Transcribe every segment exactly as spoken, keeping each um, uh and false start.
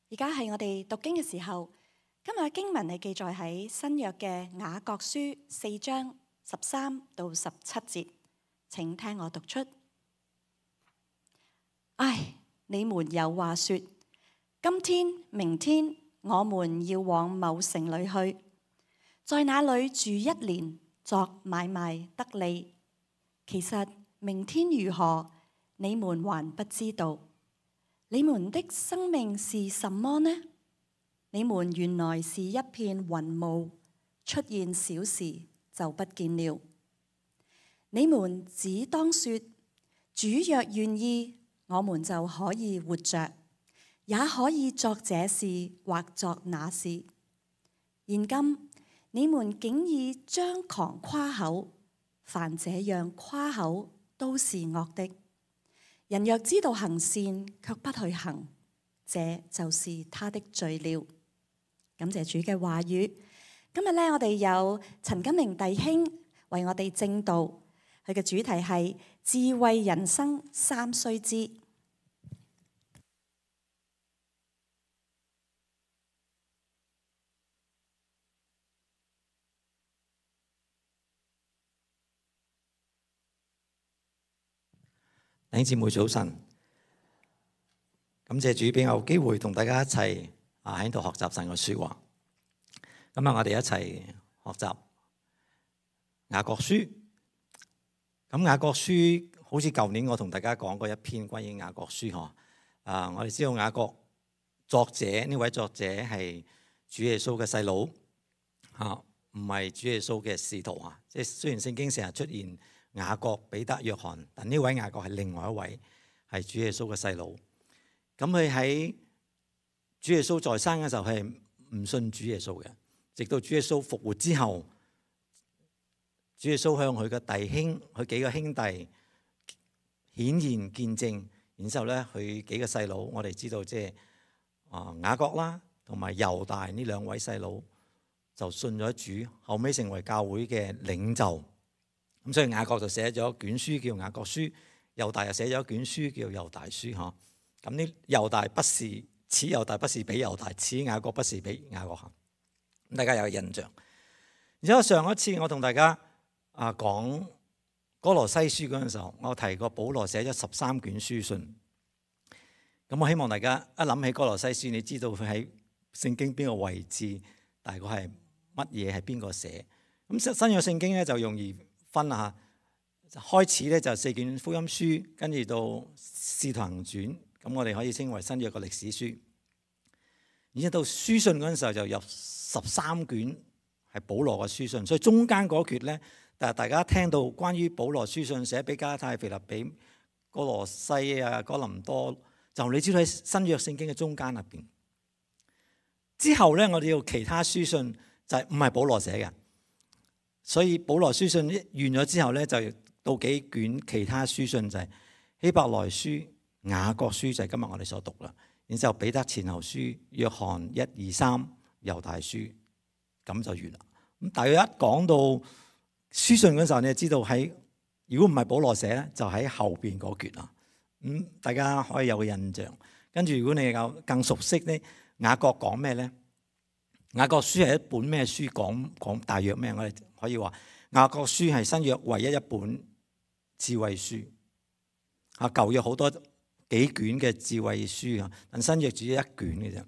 而家係我哋讀經嘅時候，今日嘅經文係記載喺新約嘅雅各書四章十三到十七節，請聽我讀出。唉，你們有話說，今天、明天我們要往某城裏去，在那裏住一年，作買賣得利。其實明天如何，你們還不知道。你們的生命是什麼呢？你們原來是一片雲霧，出現小時就不見了。你們只當說，主若願意，我們就可以活着，也可以作這事或作那事。現今你們竟以張狂誇口，凡這樣誇口都是惡的。人若知道行善，卻不去行，這就是他的罪了。感謝主嘅話語。今日咧，我哋有陳金明弟兄為我哋證道，佢嘅主題係智慧人生三須知。弟兄姊妹早晨，感謝主俾我有機會同大家一齊啊喺度學習神嘅說話。今日我哋一齊學習雅各書。咁雅各書好似舊年我同大家講過一篇關於雅各書嗬。啊，我哋知道雅各作者呢位作者係主耶穌嘅細佬吓，唔係主耶穌嘅使徒啊。即係雖然聖經成日出現雅各、彼得、約翰，但呢位雅各係另外一位，係主耶穌嘅細佬。咁佢喺主耶穌在生嘅時候係唔信主耶穌嘅，直到主耶穌復活之後，主耶穌向佢嘅弟兄、佢幾個兄弟顯現見證，然之後咧佢幾個細佬，我哋知道即係啊雅各啦，同埋猶大呢兩位細佬就信咗主，後尾成為教會嘅領袖。咁所以雅各就寫咗一卷書叫雅各書，猶大又寫咗一卷書叫猶大書嗬。咁呢猶大不是此猶大不是比猶大，此雅各不是比雅各行。咁大家有個印象。然之後上一次我同大家啊講哥羅西書嗰陣時候，我提過保羅寫咗十三卷書信。咁我希望大家一諗起哥羅西書，你知道佢喺聖經邊個位置，大概係乜嘢係邊個寫。咁新約聖經咧就容易分啊，開始咧就四卷福音書，跟住到使徒行傳，咁我哋可以稱為新約嘅歷史書。然之後到書信嗰陣時候就有十三卷係保羅嘅書信，所以中間嗰橛咧，但係大家聽到關於保羅書信寫俾加拉太、腓立比、哥羅西啊、哥林多，就你知道喺新約聖經嘅中間入邊。之後咧，我哋要其他書信就係唔係保羅寫嘅。所以保羅書信完咗之後咧，就到幾卷其他書信，就係希伯來書、雅各書，就係今日我哋所讀啦。然之後彼得前後書、約翰一二三、猶大書，咁就完啦。咁大約一講到書信嗰時候，你就知道喺如果唔係保羅寫咧，就喺後邊嗰橛啦。咁大家可以有個印象。跟住如果你有更熟悉咧，雅各講咩咧？雅各書係一本咩書？講講大約咩？我哋可以話雅各書係新約唯一一本智慧書。啊，舊約好多幾卷嘅智慧書啊，但新約只有一卷嘅啫。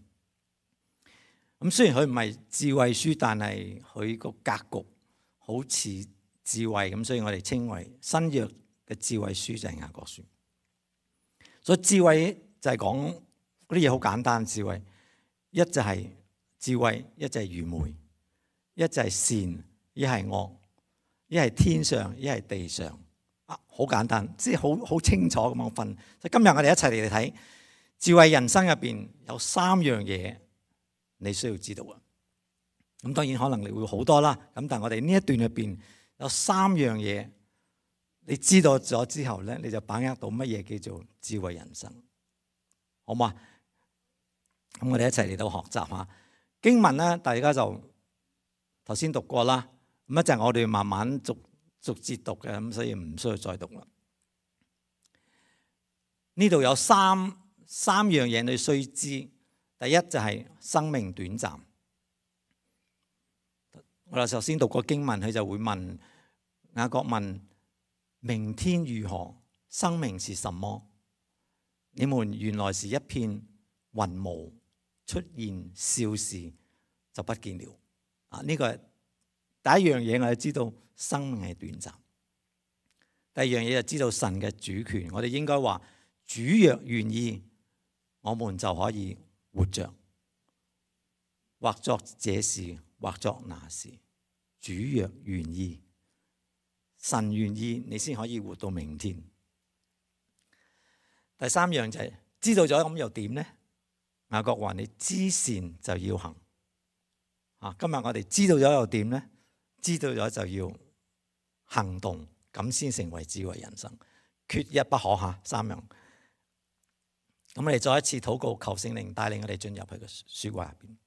咁雖然佢唔係智慧書，但係佢個格局好似智慧咁，所以我哋稱為新約嘅智慧書就係雅各書。所以智慧就係講嗰啲嘢好簡單，智慧一就係、是。智慧一就係愚昧，一就係善，一係惡，一係天上，一係地上。啊，好簡單，即係好好清楚咁樣分。所以今日我哋一齊嚟睇智慧人生入邊有三樣嘢你需要知道啊。咁當然可能你會好多啦。咁但係我哋呢一段入邊有三樣嘢，你知道咗之後咧，你就把握到乜嘢叫做智慧人生，好嘛？咁我哋一齊嚟到學習下。經文咧，大家就頭先讀過啦。咁一陣我哋慢慢逐逐節讀嘅，咁所以唔需要再讀啦。呢度有三三樣嘢你須知。第一就係生命短暫。我哋頭先讀過經文，佢就會問雅各問：明天如何？生命是什麼？你們原來是一片雲霧，出現少時就不見了。啊，呢個係第一樣嘢，我哋知道生命係短暫。第二樣嘢就知道神嘅主權。我哋應該話：主若願意，我們就可以活着，或作這事，或作那事。主若願意，神願意，你先可以活到明天。第三樣就係、是、知道咗咁又點呢？雅各話：你知善就要行。啊，今日我哋知道咗又點呢？知道咗就要行動，咁先成為智慧人生，缺一不可吓。三樣。咁我哋再一次禱告，求聖靈帶領我哋進入佢嘅說話入邊。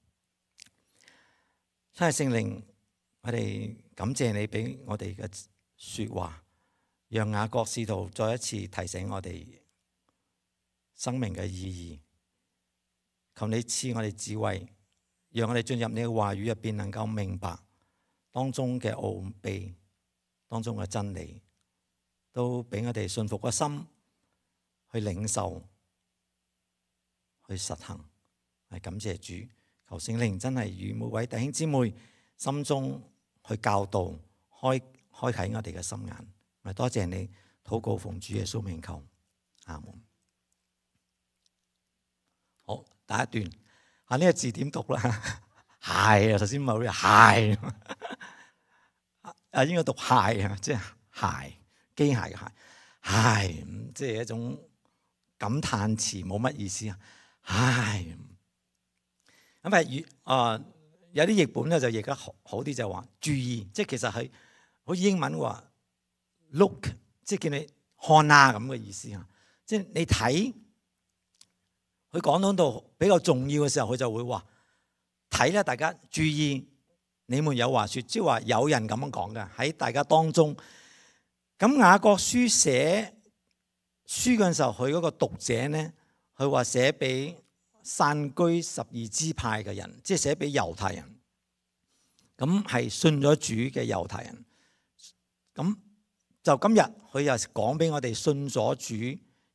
真係聖靈，我哋感謝你俾我哋嘅說話，讓雅各使徒再一次提醒我哋生命嘅意義。求你賜我哋智慧，讓我哋進入你嘅話語入邊，能夠明白當中嘅奧秘，當中嘅真理，都俾我哋信服個心去領受，去實行。係感謝主，求聖靈真係與每位弟兄姊妹心中去教導，開開啟我哋嘅心眼。咪多謝你，禱告奉主耶穌名求，阿門。好，第一段啊，呢個字點讀啦？係啊，頭先冇呢係啊，應該讀係啊，即係係機械嘅係，係即係一種感嘆詞，冇乜意思啊。係咁係粵啊，有啲譯本咧就譯得好好啲，就話注意，即係其實係好似英文話 look， 即係叫你看啊咁嘅意思啊。即係你睇佢講到比較重要嘅時候，佢就會話睇咧，大家注意，你們有話說，即係話有人咁樣講嘅喺大家當中。咁雅各書寫書嗰陣時候，佢嗰個讀者咧，佢話寫俾散居十二支派嘅人，即係寫俾猶太人。咁係信咗主嘅猶太人。咁就今日佢又講俾我哋信咗主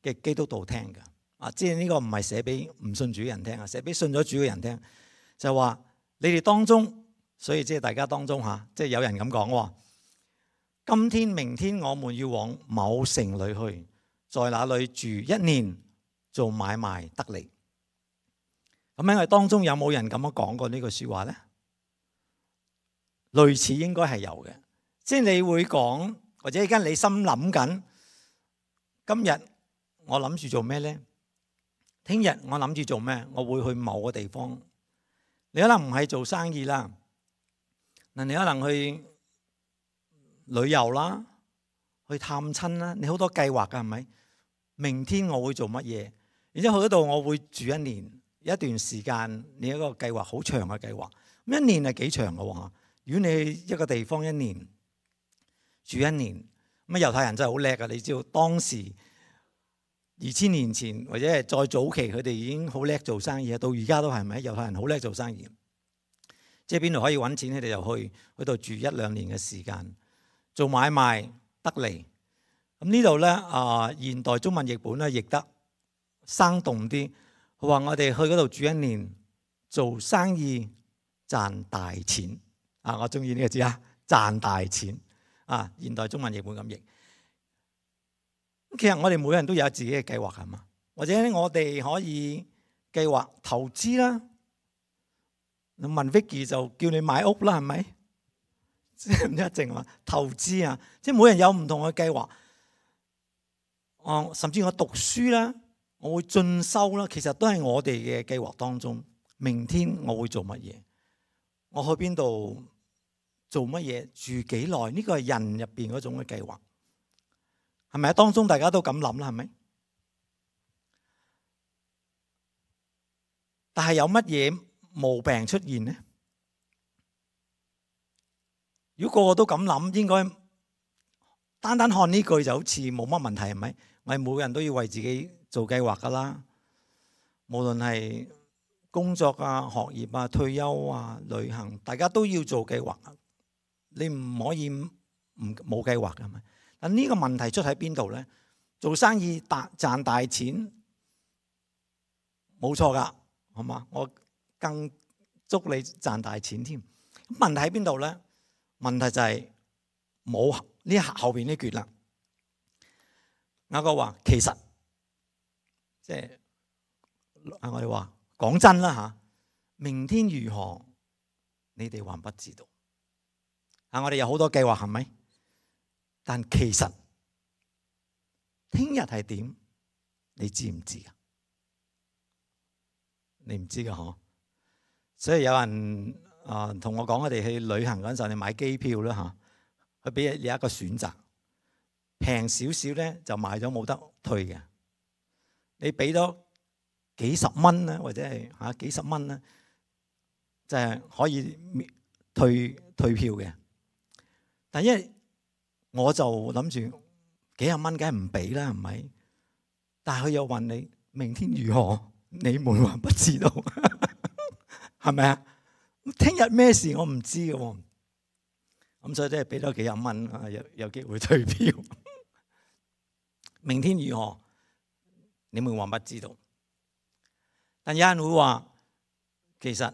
嘅基督徒聽嘅。啊，即係呢個唔係寫俾唔信主嘅人聽啊，寫俾信咗主嘅人聽。就話你哋當中，所以即係大家當中吓，即係有人咁講喎。今天、明天我們要往某城裏去，在那裏住一年，做買賣得利。咁喺我哋當中有冇人咁樣講過呢句說話咧？類似應該係有嘅，即係你會講，或者而家你心諗緊，今日我諗住做咩咧？聽日我諗住做咩？我會去某個地方。你可能唔係做生意啦，嗱，你可能去旅遊啦，去探親啦，你好多計劃㗎，係咪？明天我會做乜嘢？然之後去嗰度我會住一年，一段時間，你一個計劃好長嘅計劃。咁一年係幾長嘅喎？如果你去一個地方一年住一年，咁啊猶太人真係好叻㗎，你知道當時二千年前或者係再早期，佢哋已經好叻做生意啊！到而家都係咪？猶太人好叻做生意，即係邊度可以揾錢，佢哋就去嗰度住一兩年嘅時間，做買賣得利。咁呢度咧啊，現代中文譯本咧譯得生動啲，佢話我哋去嗰度住一年，做生意賺大錢啊！我中意呢個字啊，賺大錢啊！現代中文譯本咁譯。其實我哋每個人都有自己嘅計劃，係嘛？或者我哋可以計劃投資啦。你問 Vicky 就叫你買屋啦，係咪？即係唔一定話投資啊！即係每人有唔同嘅計劃。哦，甚至我讀書啦，我會進修啦，其實都係我哋嘅計劃當中。明天我會做乜嘢？我去邊度做乜嘢？住幾耐？呢個係人入邊嗰種嘅計劃。係咪啊？當中大家都咁諗啦，係咪？但係有乜嘢毛病出現呢？如果個個都咁諗，應該單單看呢句就好似冇乜問題，係咪？我哋每個人都要為自己做計劃噶啦，無論係工作啊、學業啊、退休啊、旅行，大家都要做計劃。你唔可以唔冇計劃㗎嘛？但呢個問題出喺邊度咧？做生意大賺大錢冇錯㗎，好嘛？我更祝你賺大錢添。問題喺邊度咧？問題就係冇呢後邊呢橛啦。雅各話其實即係啊，我哋話講真啦嚇，明天如何，你哋還不知道。啊，我哋有好多計劃係咪？但其實聽日係點？你知唔知啊？你唔知㗎嗬？所以有人啊同我講，我哋去旅行嗰陣時候，你買機票啦嚇，佢俾你一個選擇，平少少咧就買咗冇得退嘅。你俾咗幾十蚊咧，或者係嚇幾十蚊咧，就係可以退退票嘅。但因為我就諗住幾十蚊，梗係唔俾啦，係咪？但係佢又問你明天如何，你們還不知道，係咪啊？聽日咩事我唔知嘅喎，咁所以都係俾多幾十蚊啊，有有機會退票。明天如何，你們還不知道。但有人會話，其實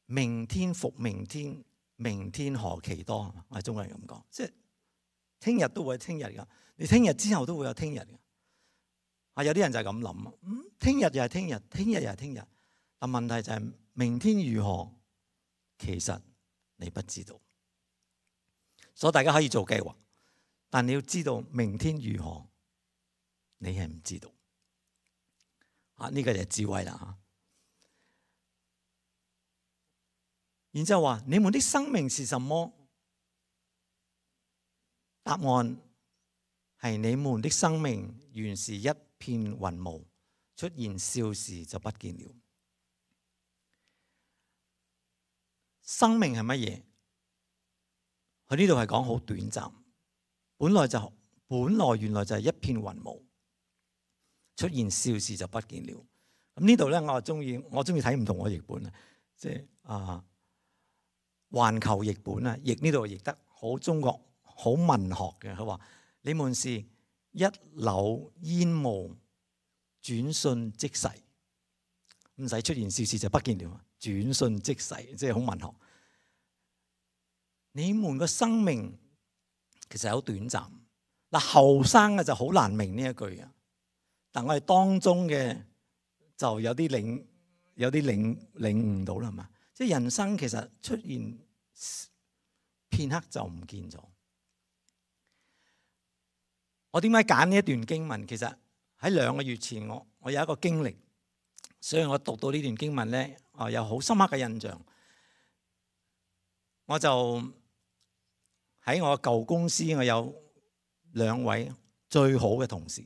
明天復明天，明天何其多。我係中國人咁講，即係聽日都會有聽日㗎，你聽日之後都會有聽日㗎。啊，有啲人就係咁諗啊，嗯，聽日又係聽日，聽日又係聽日。但問題就係明天如何，其實你不知道。所以大家可以做計劃，但你要知道明天如何，你係唔知道。啊，呢個就係智慧啦嚇。然之後話：你們的生命是什麼？答案係你們的生命原是一片雲霧，出現少時就不見了。生命係乜嘢？佢呢度係講好短暫，本來就本來原來就係一片雲霧，出現少時就不見了。咁呢度咧，我中意我中意睇唔同嘅譯本啊，即係啊環球譯本啊，譯呢度譯得好中國好文學嘅。佢話：你們是一縷煙霧，轉瞬即逝，唔使出現少時就不見了。轉瞬即逝，即係好文學。你們個生命其實好短暫。嗱，後生嘅就好難明呢一句嘅，但我哋當中嘅就有啲領有啲領領悟到啦嘛。即係人生其實出現片刻就唔見咗。我點解揀呢一段經文？其實喺兩個月前我我有一個經歷，所以我讀到呢段經文咧，啊有好深刻嘅印象。我就喺我舊公司，我有兩位最好嘅同事，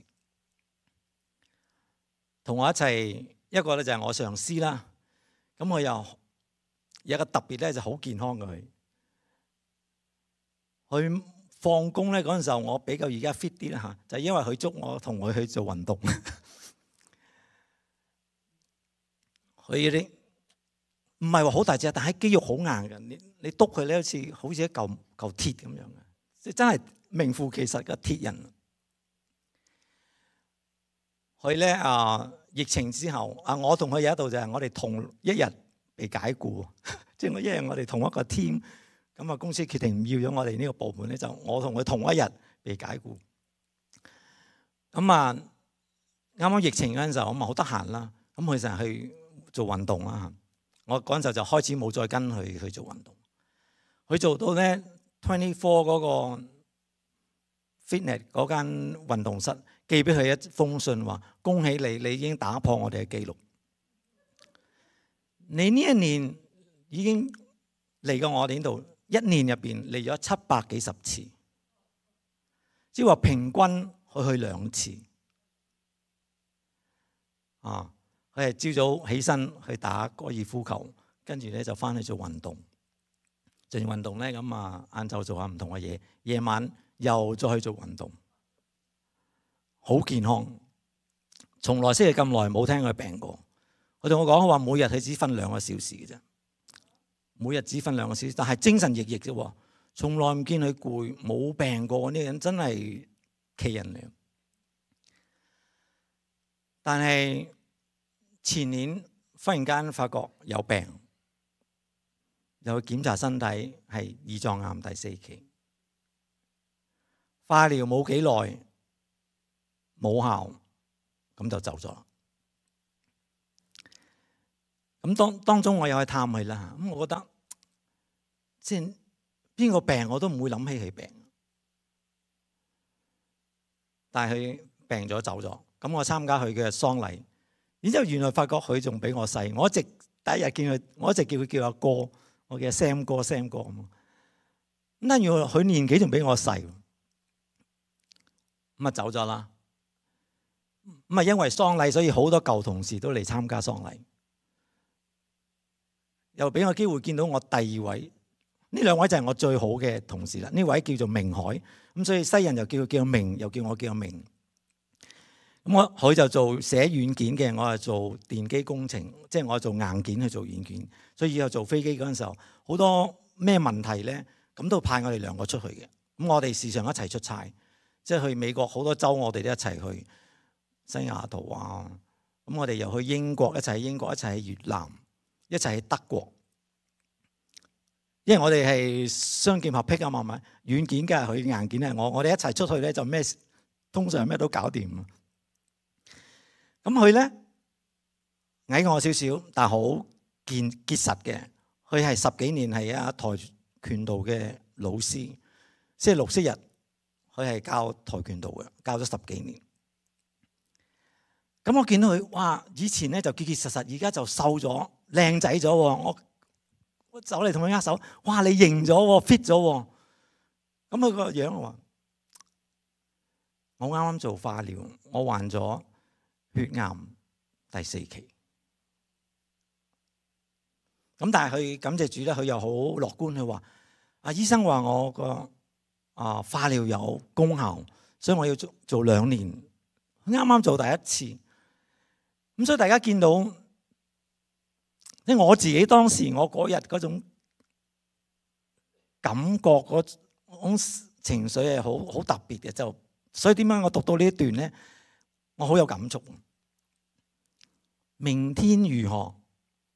同我一齊，一個咧就係我上司啦。咁我又有一個特別咧，就好健康嘅佢。佢放工咧嗰陣時候，我比較而家 fit 啲啦嚇，就係因為佢捉我同佢去做運動。佢啲唔係話好大隻，但係肌肉好硬嘅。你你篤佢咧，好似好似一嚿嚿鐵咁樣嘅，即係真係名副其實嘅鐵人。佢咧啊，疫情之後啊，我同佢有一度就係我哋同一日被解僱，即係我一日我哋同一個 team，咁啊公司決定唔要咗我哋呢個部門咧，就我同佢同一日被解僱。咁啊，啱啱疫情嗰陣時候，我咪好得閒啦，咁佢成日去做運動啦。我嗰陣時候就開始冇再跟佢去做運動。佢做到咧 twenty four 嗰個 fitness 嗰間運動室寄俾佢一封信，話恭喜你，你已經打破我哋嘅記錄。你呢一年已經嚟過我哋呢度，一年入邊嚟咗七百幾十次，即係話平均去去兩次。啊！佢係朝早起身去打高爾夫球，跟住咧就翻去做運動。做完運動咧，咁啊晏晝做下唔同嘅嘢，夜晚又再去做運動，好健康。從來識佢咁耐，冇聽佢病過。佢同我講話，每日佢只瞓兩個小時嘅啫，每日只瞓兩個小時，但係精神奕奕啫，從來唔見佢攰，冇病過。呢個人真係奇人嚟。但係前年忽然間發覺有病，又去檢查身體係胰臟癌第四期，化療冇幾耐冇效，咁就走咗。咁當當中我又去探佢啦，咁我覺得即係邊個病我都唔會諗起佢病，但係佢病咗走咗。咁我參加佢嘅喪禮，然之後原來發覺佢仲比我細。我一直第一日見佢，我一直叫佢叫阿哥，我叫 Sam 哥 Sam 哥咁。咁但原來佢年紀仲比我細，咁啊走咗啦。咁啊因為喪禮，所以好多舊同事都嚟參加喪禮，又俾我機會見到我第二位。呢兩位就係我最好嘅同事啦。呢位叫做明海，咁所以西人又叫佢叫明，又叫我叫明。咁我佢就做寫軟件嘅，我係做電機工程，即係我做硬件去做軟件。所以以後做飛機嗰陣時候，好多咩問題咧，咁都派我哋兩個出去嘅。咁我哋時常一齊出差，即係去美國好多州，我哋都一齊去西雅圖啊。咁我哋又去英國，一齊去英國，一齊去越南，一齊去德國。因為我哋係雙劍合璧啊嘛，咪軟件嘅係佢，硬件係我，我哋一齊出去咧就咩，通常咩都搞掂。咁佢咧矮我少少，但係好健結實嘅。佢係十幾年係一跆拳道嘅老師，星期六、星期日佢係教跆拳道嘅，教咗十幾年。咁我見到佢，哇！以前咧就結結實實，而家就瘦咗，靚仔咗。我我走嚟同佢握手，哇！你型咗 ，fit 咗。咁佢個樣話：我啱啱做化療，我患咗血癌第四期。咁但係佢感謝主咧，佢又好樂觀，佢話：啊，醫生話我個啊化療有功效，所以我要做做兩年。啱啱做第一次，咁所以大家見到，即係我自己當時我嗰日嗰種感覺，嗰種情緒係好好特別嘅。就所以點解我讀到呢一段咧，我好有感觸。明天如何？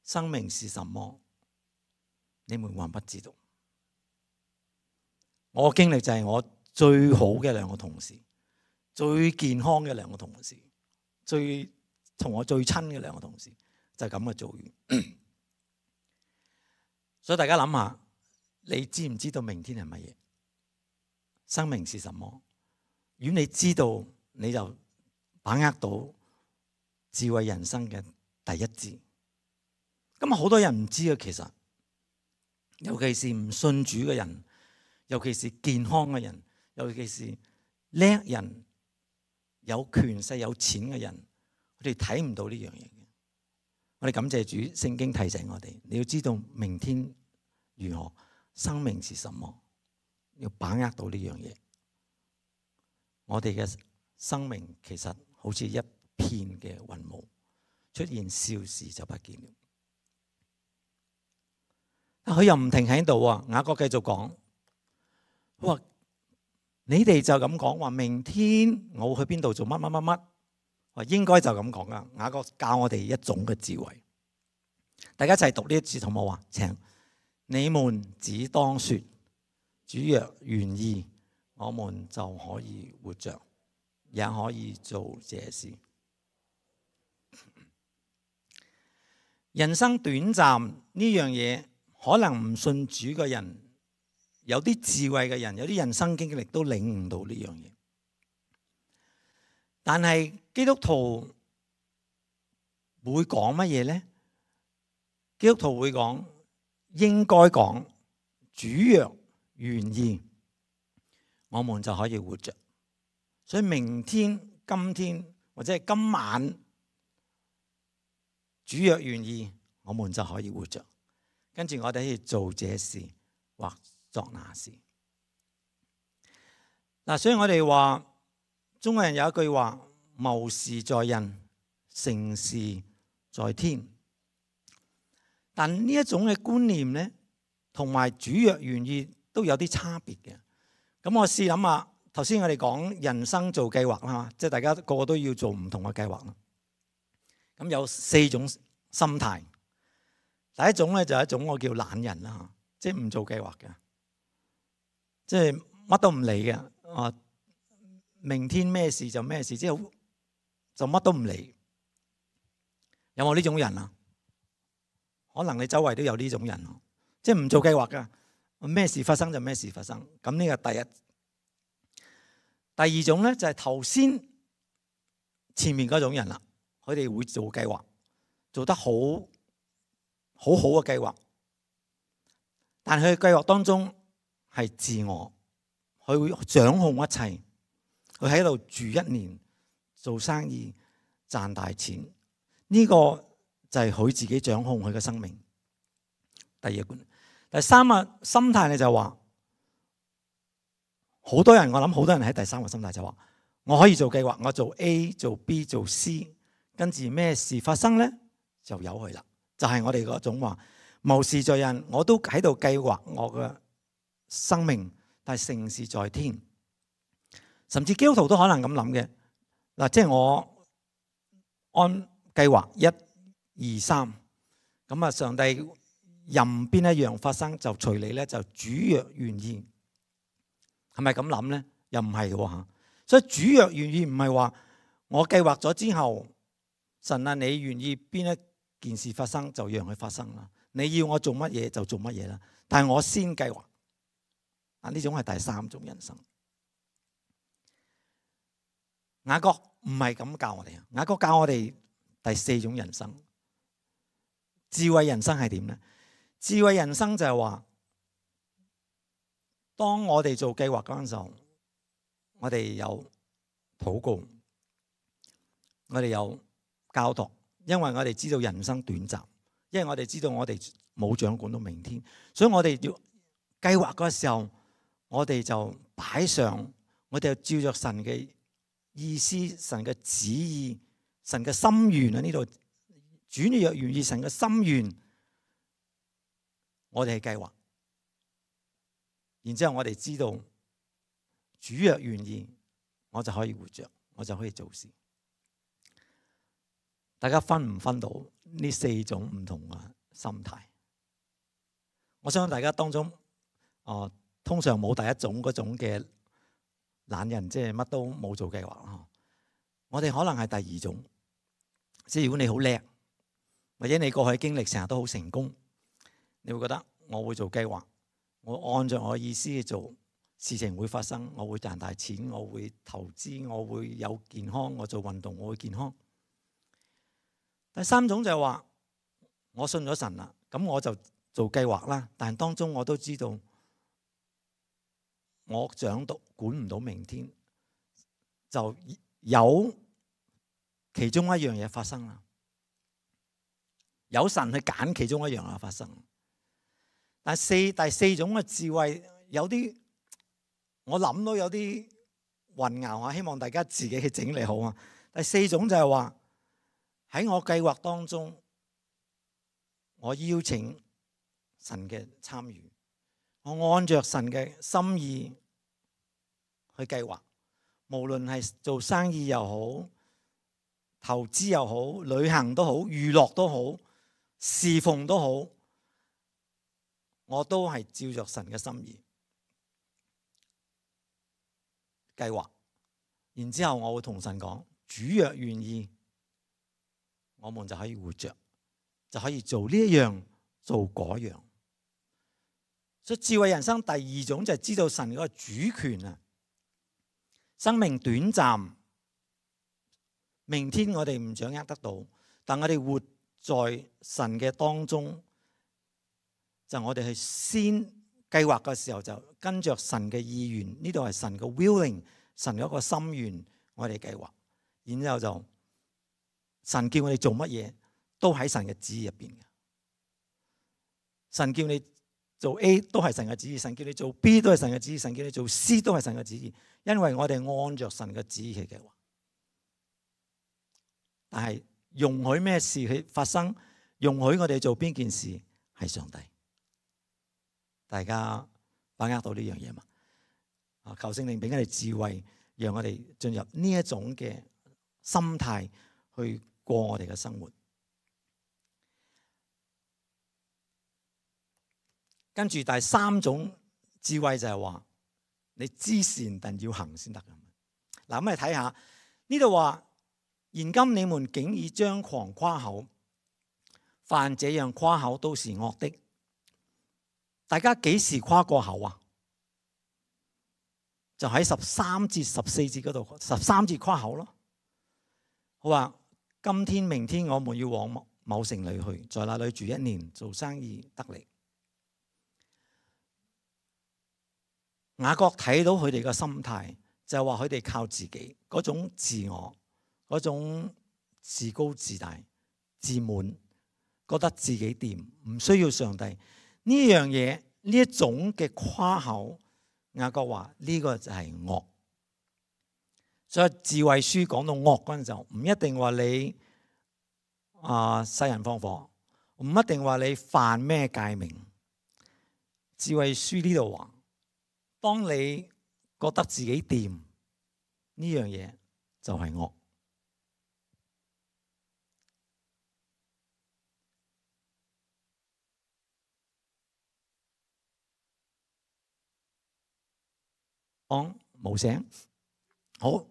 生命是什麼？你們還不知道。我經歷就係我最好嘅兩個同事，最健康嘅兩個同事，最同我最親嘅兩個同事，就係咁嘅遭遇。所以大家諗下，你知唔知道明天係乜嘢？生命是什麼？如果你知道，你就把握到智慧人生嘅第一字。咁啊，好多人唔知啊，其實，尤其是唔信主嘅人，尤其是健康嘅人，尤其是叻人、有權勢、有錢嘅人，佢哋睇唔到呢樣嘢嘅。我哋感謝主，聖經提醒我哋，你要知道明天如何，生命是什麼，要把握到呢樣嘢。我哋嘅生命其實好似一片嘅雲霧，出現少時就不見了。佢又唔停喺度啊！雅各繼續講，佢話你哋就咁講，話明天我去邊度做乜乜乜乜，話應該就咁講噶。雅各教我哋一種嘅智慧，大家一齊讀呢一節好唔好啊？請你們只當說，主若願意，我們就可以活着，也可以做這事。人生短暫呢樣嘢。可能唔信主嘅人，有啲智慧嘅人，有啲人生經歷都領悟到呢樣嘢。但係基督徒會講乜嘢呢？基督徒會講，應該講，主若願意，我們就可以活着。所以明天、今天或者係今晚，主若願意，我們就可以活着。跟住我哋可以做這事或作那事。嗱，所以我哋話中國人有一句話：謀事在人，成事在天。但呢一種嘅觀念咧，同埋主若願意都有啲差別嘅。咁我試諗下，頭先我哋講人生做計劃啦，即係大家個個都要做唔同嘅計劃啦。咁有四種心態。第一種咧就係一種我叫懶人啦，即係唔做計劃嘅，即係乜都唔理嘅。啊，明天咩事就咩事，即係就乜都唔理。有冇呢種人啊？可能你周圍都有呢種人，即係唔做計劃噶，咩事發生就咩事發生。咁呢個第一。第二種咧就係頭先前面嗰種人啦，佢哋會做計劃，做得好好好嘅計劃，但係佢計劃當中係自我，佢會掌控一切，佢喺度住一年，做生意賺大錢，呢、這個就係佢自己掌控佢嘅生命。第二個觀，第三個心態咧就話，好多人我諗好多人喺第三個心態就話，我可以做計劃，我做 A 做 B 做 C， 跟住咩事發生咧就由佢啦。就係、是、我哋嗰種話謀事在人，我都喺度計劃我嘅生命，但係成事在天。甚至基督徒都可能咁諗嘅嗱，即係我按計劃一二三，咁啊上帝任邊一樣發生就隨你咧，就主若願意，係咪咁諗咧？又唔係嘅吓，所以主若願意唔係話我計劃咗之後，神啊你願意邊一件事發生就讓佢發生啦，你要我做乜嘢就做乜嘢啦。但係我先計劃啊，呢種係第三種人生。雅各唔係咁教我哋啊，雅各教我哋第四種人生。智慧人生係點咧？智慧人生就係話，當我哋做計劃嗰陣時候，我哋有禱告，我哋有交託。因為我哋知道人生短暫，因為我哋知道我哋冇掌管到明天，所以我哋要計劃嗰時候，我哋就擺上，我哋就照着神嘅意思、神嘅旨意、神嘅心願喺呢度，主若願意神嘅心願，我哋係計劃。然之後我哋知道，主若願意，我就可以活着，我就可以做事。大家分唔分到呢四種唔同嘅心態？我相信大家當中，哦、呃，通常冇第一種嗰種嘅懶人，即係乜都冇做計劃。我哋可能係第二種，即係如果你好叻，或者你過去經歷成日都好成功，你會覺得我會做計劃，我按照我嘅意思去做，事情會發生，我會賺大錢，我會投資，我會有健康，我做運動我會健康。第三種就係話，我信咗神啦，咁我就做計劃啦。但係當中我都知道，我掌到管唔到明天，就有其中一樣嘢發生啦。有神去揀其中一樣嘢發生。但係四第四種嘅智慧有啲，我諗到有啲混淆啊，希望大家自己去整理好啊。第四種就係話，喺我計劃當中，我邀請神嘅參與，我按着神嘅心意去計劃，無論係做生意又好，投資又好，旅行都好，娛樂都好，侍奉都好，我都係照着神嘅心意計劃。然之後我會同神講，主若願意，我們就可以活着，就可以做呢一樣，做嗰樣。所以智慧人生第二種就係知道神嗰個主權啊。生命短暫，明天我哋唔掌握得到，但我哋活在神嘅當中，就我哋去先計劃嘅時候就跟着神嘅意願，呢度係神嘅 willing， 神嗰個心願，我哋計劃，然之後就。神叫我哋做乜嘢，都喺神嘅旨意入邊嘅。神叫你做 A 都係神嘅旨意，神叫你做 B 都係神嘅旨意，神叫你做 C 都係神嘅旨意。因為我哋按着神嘅旨意去計劃，但係容許咩事去發生，容許我哋做邊件事，係上帝。大家把握到呢樣嘢嘛？啊，求聖靈俾我哋智慧，讓我哋進入呢一種嘅心態去過我哋嘅生活。跟住第三種智慧就係話，你知善但要行先得。嗱，咁我哋睇下呢度話，現今你們竟以張狂誇口，凡這樣誇口都是惡的。大家幾時誇過口啊？就喺十三節、十四節嗰度，十三節誇口咯。好話，今天、明天我們要往某城裏去，在那裏住一年，做生意得利。雅各睇到佢哋嘅心態，就係話佢哋靠自己嗰種自我，嗰種自高自大、自滿，覺得自己掂，唔需要上帝呢樣嘢，呢一種嘅誇口，雅各話呢個就係惡。所以智慧書講到惡嗰陣時候，唔一定話你啊殺人放火，唔一定話你犯咩誡命。智慧書呢度話，當你覺得自己掂呢樣嘢就係惡。講冇聲，好。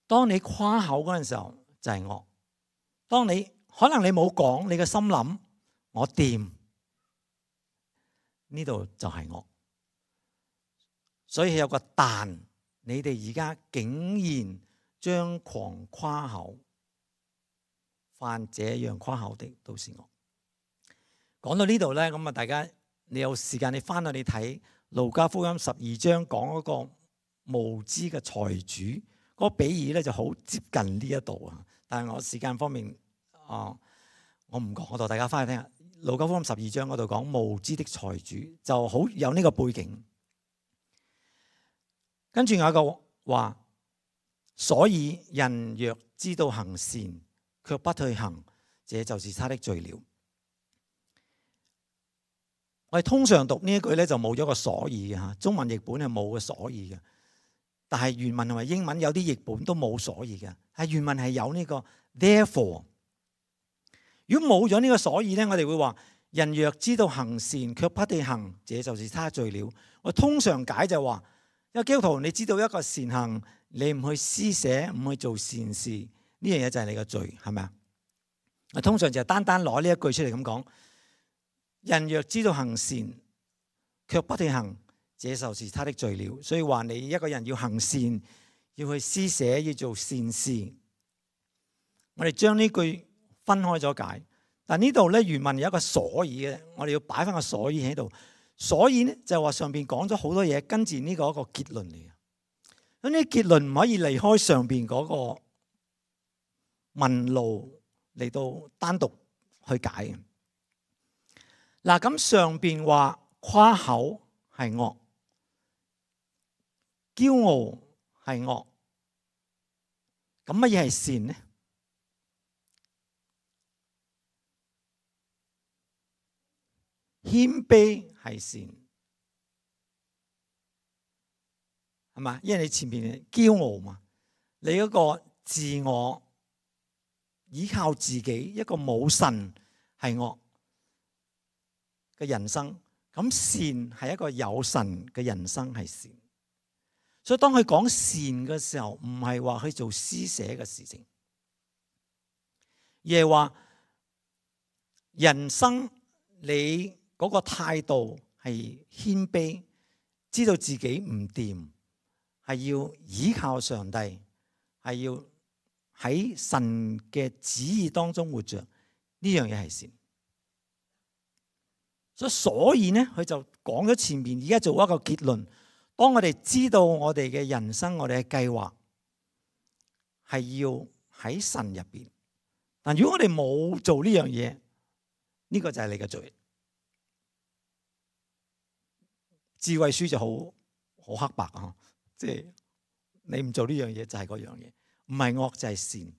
當你誇口嗰陣時候就係惡。當你可能你冇講，你嘅心諗我掂，呢度就係惡。所以有個但，你哋而家竟然張狂誇口，犯這樣誇口的都是惡。講到呢度咧，咁啊，大家你有時間你翻去你睇路加福音十二章講嗰個無知嘅財主。嗰個比喻咧就好接近呢一度啊，但係我時間方面啊，我唔講嗰度，大家翻去聽下。路加福音十二章嗰度講無知的財主，就好有呢個背景。跟住有一個話，所以人若知道行善，卻不去行，這就是他的罪了。我哋通常讀呢一句咧就冇咗個所以嘅嚇，中文譯本係冇個所以嘅。但係原文同埋英文有啲譯本都冇所以嘅，係原文係有呢個 therefore。如果冇咗呢個所以咧，我哋會話人若知道行善卻不去行，這就是他罪了。我通常解就話，因為基督徒你知道一個善行，你唔去施捨，唔去做善事，呢樣嘢就係你嘅罪，係咪啊？我通常就係單單攞呢一句出嚟咁講，人若知道行善卻不去行，這就是他的罪了。所以話你一個人要行善，要去施捨，要做善事。我哋將呢句分開咗解，但呢度咧原文有一個所以嘅，我哋要擺翻個所以喺度。所以呢就係話上邊講咗好多嘢，跟住呢個一個結論嚟嘅。咁呢結論唔可以離開上邊嗰個問路嚟到單獨去解嘅。嗱，咁上邊話誇口係惡，驕傲係惡，咁乜嘢係善呢？謙卑係善，係嘛？因為你前面驕傲嘛，你嗰個自我依靠自己，一個冇神係惡嘅人生。咁善係一個有神嘅人生係善。所以當佢講善嘅時候，唔係話去做施捨嘅事情，而係話人生你嗰個態度係謙卑，知道自己唔掂，係要依靠上帝，係要喺神嘅旨意當中活着，呢樣嘢係善。所以所以呢，佢就講咗前面，而家做一個結論。當我哋知道我哋嘅人生，我哋嘅計劃係要喺神入邊，但如果我哋冇做呢樣嘢，呢個就係你嘅罪。智慧書就好好黑白啊，即係你唔做呢樣嘢就係嗰樣嘢，唔係惡就係善，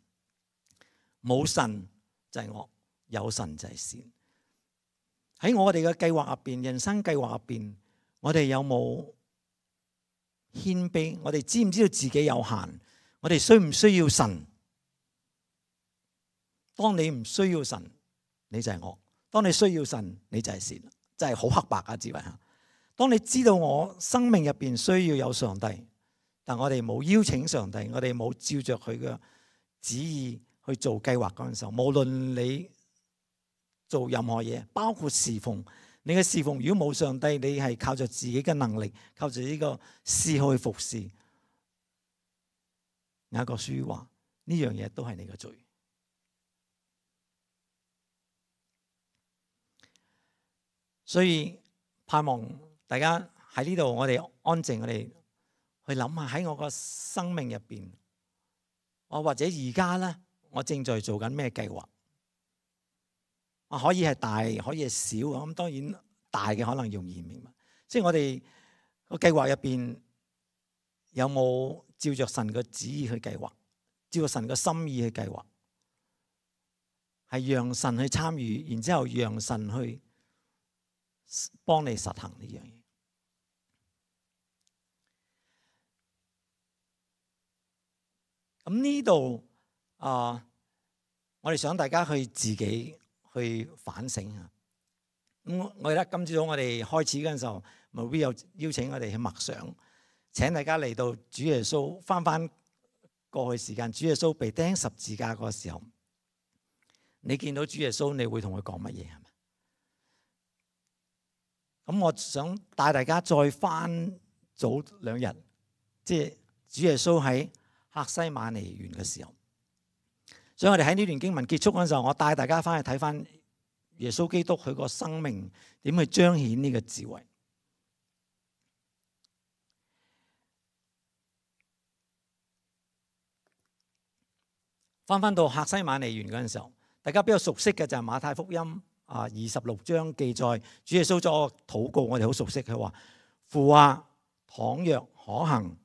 冇神就係惡，有神就係善。喺我哋嘅計劃入邊，人生計劃入邊，我哋有冇謙卑？我哋知唔知道自己有限？我哋需唔需要神？當你唔需要神，你就係惡；當你需要神，你就係善。真係好黑白啊！智慧吓。當你知道我生命入邊需要有上帝，但我哋冇邀請上帝，我哋冇照着佢嘅旨意去做計劃嗰陣時候，無論你做任何嘢，包括侍奉，你嘅侍奉如果冇上帝，你係靠着自己嘅能力，靠着呢個嗜好去服侍。雅各書話呢樣嘢都係你嘅罪。所以盼望大家喺呢度，我哋安靜，我哋去諗下喺我個生命入邊，我或者而家咧，我正在做緊咩計劃？啊，可以係大，可以係小。咁當然大嘅可能容易明白，即係我哋個計劃入邊有冇照着神嘅旨意去計劃，照着神嘅心意去計劃，係讓神去參與，然之後讓神去幫你實行呢樣嘢。咁呢度啊，我哋想大家去自己去反省啊。咁我記得今朝早我哋開始嗰陣時候，咪會有邀請我哋去默想，請大家嚟到主耶穌翻翻過去時間，主耶穌被釘十字架嗰個時候，你見到主耶穌，你會同佢講乜嘢？係咪？咁我想帶大家再翻早兩日，即係主耶穌喺客西馬尼園嘅時候。所以我哋喺呢段經文結束嗰陣時候，我帶大家翻去睇翻耶穌基督佢個生命點去彰顯呢個智慧。翻翻到客西馬尼園嗰陣時候，大家比較熟悉嘅就係馬太福音。啊！二十六章記載主耶穌作個禱告，我哋好熟悉。佢話：父啊，倘若可行，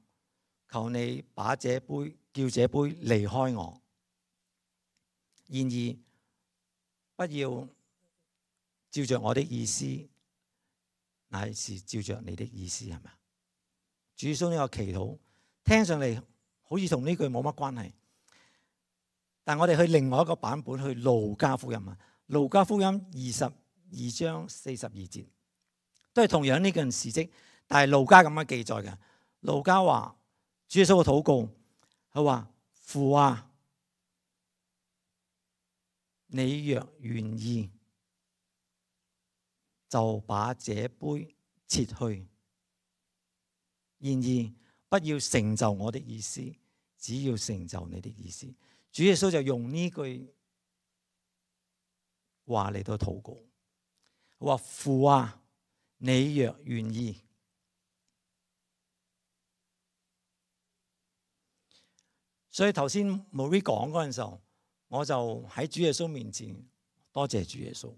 求你把這杯叫這杯離開我。然而不要照着我的意思，乃是照着你的意思，係咪？主耶穌呢個祈禱聽上嚟好似同呢句冇乜關係，但我哋去另外一個版本去路加福音啊。路加福音二十二章四十二節，都係同樣呢件事蹟，但係路加咁樣記載嘅。路加話主耶穌嘅禱告，佢話：父啊，你若願意，就把這杯撤去；然而不要成就我的意思，只要成就你的意思。主耶穌就用呢句話嚟到禱告，話：父啊，你若願意。所以頭先 Marie 講嗰陣時候，我就喺主耶穌面前多謝主耶穌。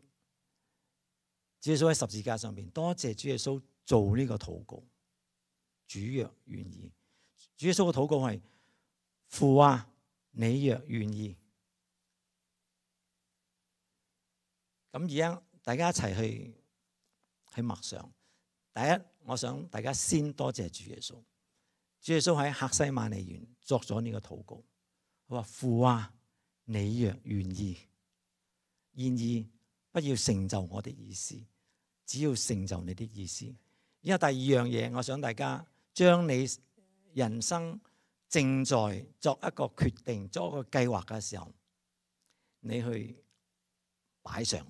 主耶穌喺十字架上邊，多謝主耶穌做呢個禱告。主若願意，主耶穌嘅禱告係：父啊，你若願意。咁而家大家一齊去去默想。第一，我想大家先多謝主耶穌。主耶穌喺客西馬尼園作咗呢個禱告，佢話：父啊，你若願意，然而不要成就我的意思，只要成就你的意思。而家第二樣嘢，我想大家將你人生正在作一個決定、作一個計劃嘅時候，你去擺上。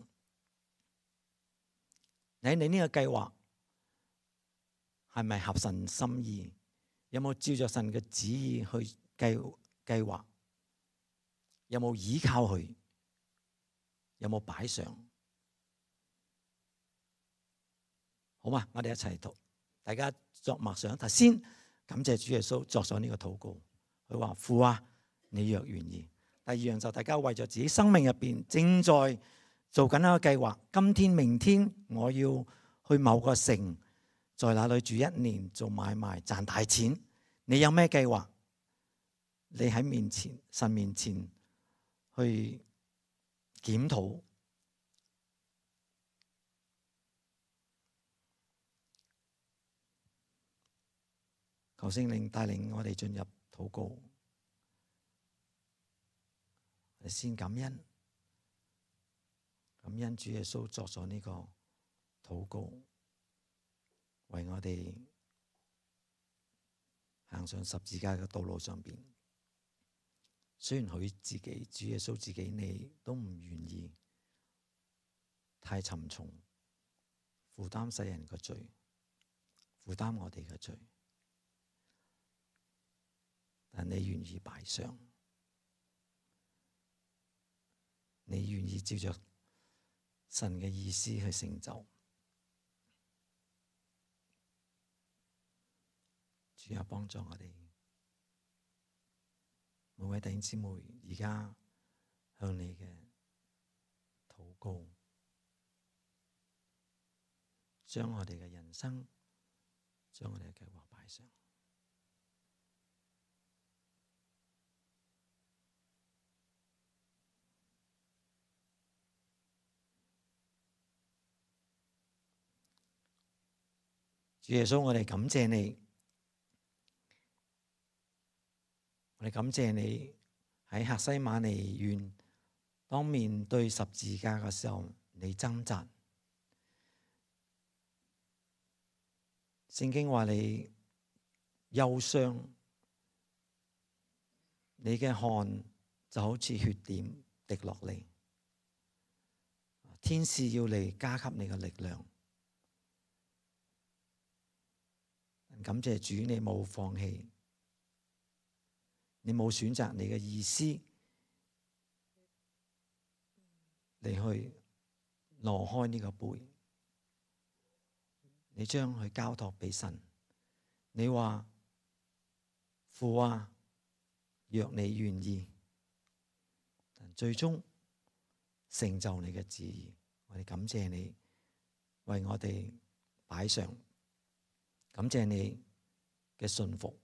你你呢個計劃係咪合神心意？有冇照着神嘅旨意去計計劃？有冇依靠佢？有冇擺上？好嘛，我哋一齊讀，大家作默想。頭先感謝主耶穌作咗呢個禱告，佢話：父啊，你若願意。第二樣就大家為咗自己生命入邊正在做緊一個計劃，今天、明天我要去某個城，在那裏住一年，做買賣賺大錢。你有咩計劃？你喺面前神面前去檢討，求聖靈帶領我哋進入禱告。我哋先感恩，感恩主耶穌作咗呢個禱告，為我哋行上十字架嘅道路上邊。雖然佢自己，主耶穌自己，你都唔願意太沉重，負擔世人嘅罪，負擔我哋嘅罪，但你願意擺上，你願意照着神嘅意思去成就。主啊，幫助我哋每位弟兄姊妹，而家向你嘅禱告，將我哋嘅人生，將我哋嘅計劃擺上。主耶穌，我哋感謝你，我哋感謝你喺客西馬尼園，當面對十字架嘅時候，你掙扎。聖經話你憂傷，你嘅汗就好似血點滴落嚟，天使要嚟加給你嘅力量。感謝主，你冇放棄，你冇選擇你嘅意思嚟去挪開呢個杯，你將佢交託俾神。你話父啊，若你願意，但最終成就你嘅旨意。我哋感謝你為我哋擺上。感謝你嘅信服，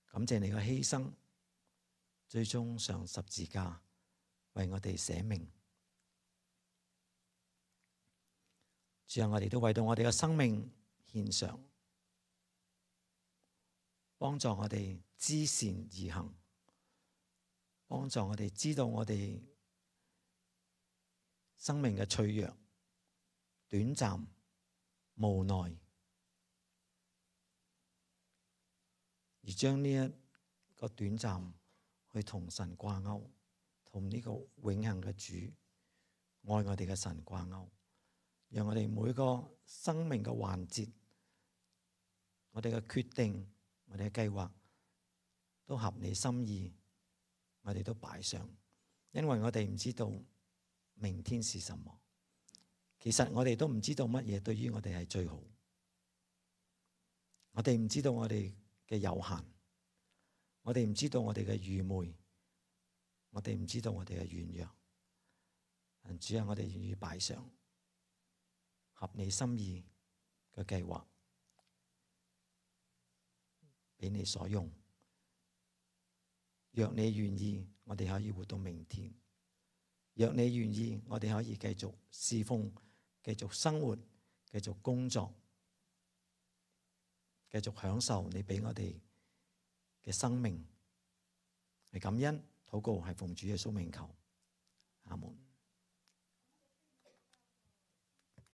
感謝你嘅犧牲，最終上十字架為我哋捨命。最後我哋都為到我哋嘅生命獻上，幫助我哋知善而行，幫助我哋知道我哋生命嘅脆弱、短暫、無奈。而將呢一個短暫去同神掛鈎，同呢個永恆嘅主愛我哋嘅神掛鈎，讓我哋每個生命嘅環節，我哋嘅決定，我哋嘅計劃都合你心意，我哋都擺上，因為我哋唔知道明天是什麼。其實我哋都唔知道乜嘢對於我哋係最好，我哋唔知道我哋嘅有限，我哋唔知道我哋嘅愚昧，我哋唔知道我哋嘅軟弱。但主啊，我哋願意擺上合你心意嘅計劃，俾你所用。若你願意，我哋可以活到明天；若你願意，我哋可以繼續侍奉、繼續生活、繼續工作，繼續享受你俾我哋嘅生命。係感恩禱告，係奉主耶穌名求，阿門。